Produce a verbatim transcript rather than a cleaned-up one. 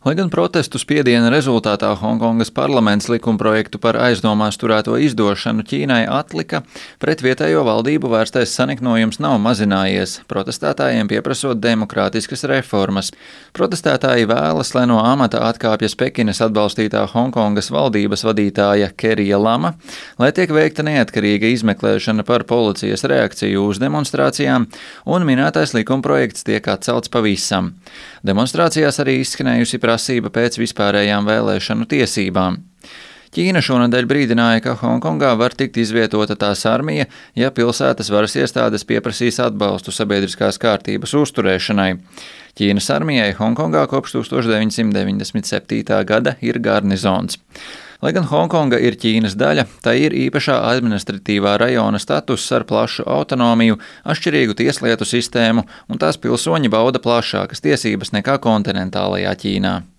Lai gan protestu spiediena rezultātā Honkongas parlaments likumprojektu par aizdomās turēto izdošanu Ķīnai atlika, pret vietējo valdību vērstais saniknojums nav mazinājies, protestētājiem pieprasot demokrātiskas reformas. Protestētāji vēlas, lai no amata atkāpjas Pekinas atbalstītā Honkongas valdības vadītāja Kerija Lama, lai tiek veikta neatkarīga izmeklēšana par policijas reakciju uz demonstrācijām, un minētais likumprojekts tiek atcelts pavisam. Demonstrācijās arī izskanējusi prasība pēc vispārējām vēlēšanu tiesībām. Ķīna šonadēļ brīdināja, ka Hongkongā var tikt izvietota tās armija, ja pilsētas varas iestādes pieprasīs atbalstu sabiedriskās kārtības uzturēšanai. Ķīnas armijai Hongkongā kopš tūkstoš deviņsimt deviņdesmit septītā gada ir garnizons. Lai gan Hongkonga ir Ķīnas daļa, tai ir īpašā administratīvā rajona status ar plašu autonomiju, atšķirīgu tieslietu sistēmu, un tās pilsoņi bauda plašākas tiesības nekā kontinentālajā Ķīnā.